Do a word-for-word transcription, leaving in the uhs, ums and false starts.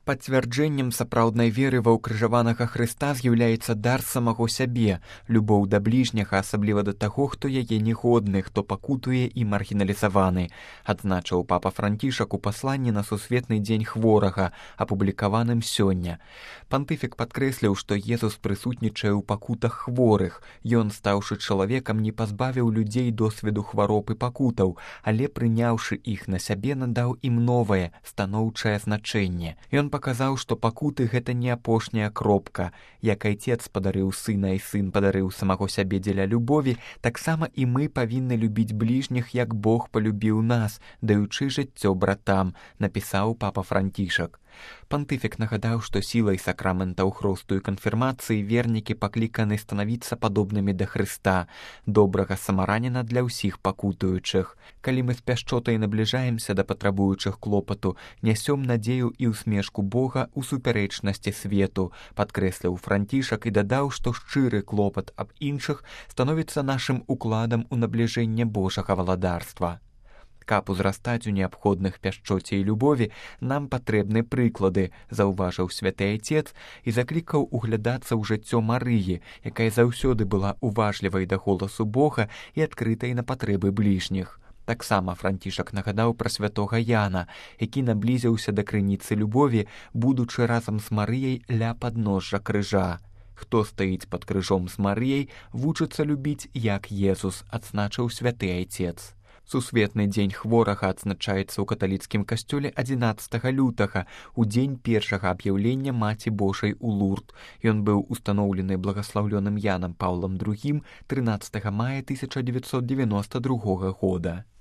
Пацвярджэннем сапраўднай веры ва ўкрыжаванага Хрыста з'яўляецца дар самого сябе, любоў да бліжняга, асабліва да таго, хто яе негодны, хто пакутуе і маргіналізаваны, адзначыў папа Францішак у пасланні на сусветны дзень хворага, апублікаваным сёння. Пантыфік падкрэсліў, што Езус прысутнічае ў пакутах хворых. Ён, стаўшы чалавекам, не пазбавіў людзей досведу хвароб і пакутаў, але, прыняўшы іх на сябе, надаў ім новае, станоўчае значэнне. Ён паказаў, што пакуты — гэта не апошняя кропка. Як айцец падарыў сына і сын падарыў самого сябе дзеля любові, таксама і мы павінны любіць бліжніх, як Бог палюбіў нас, даючы жыццё братам, напісаў папа Францішак. Пантыфік нагадаў, што сілай сакраментаў хросту і канфірмацыі вернікі пакліканы станавіцца падобнымі да Хрыста, добрага самараніна для ўсіх пакутуючых. Калі мы з пяшчотай набліжаемся да патрабуючых клопату, нясём надзею і ўсмешку Бога ў супярэчнасці свету, падкрэсліў Францішак і дадаў, што шчыры клопат аб іншых становіцца нашым укладам у набліжэнне Божага валадарства. Каб узрастаць у неабходных пяшчоце і любові, нам патрэбны прыклады, заўважыў святы айцец і заклікаў углядацца ў жыццё Марыі, якая заўсёды была уважлівай да голасу Бога і адкрытай на патрэбы бліжніх. Таксама Францішак нагадаў пра святога Яна, які наблізіўся да крыніцы любові, будучы разам з Марыяй ля падножжа крыжа. Хто стаіць пад крыжом з Марыяй, вучыцца любіць, як Езус, адзначыў святы айцец. Сусветны дзень хворага адзначаецца ў каталіцкім касцёле адзінаццатага лютага, у дзень першага аб'яўлення Маці Божай у Лурд. Ён быў устаноўлены благаслаўлёным Янам Паўлам другім трынаццатага мая тысяча дзевяцьсот дзевяноста другога года.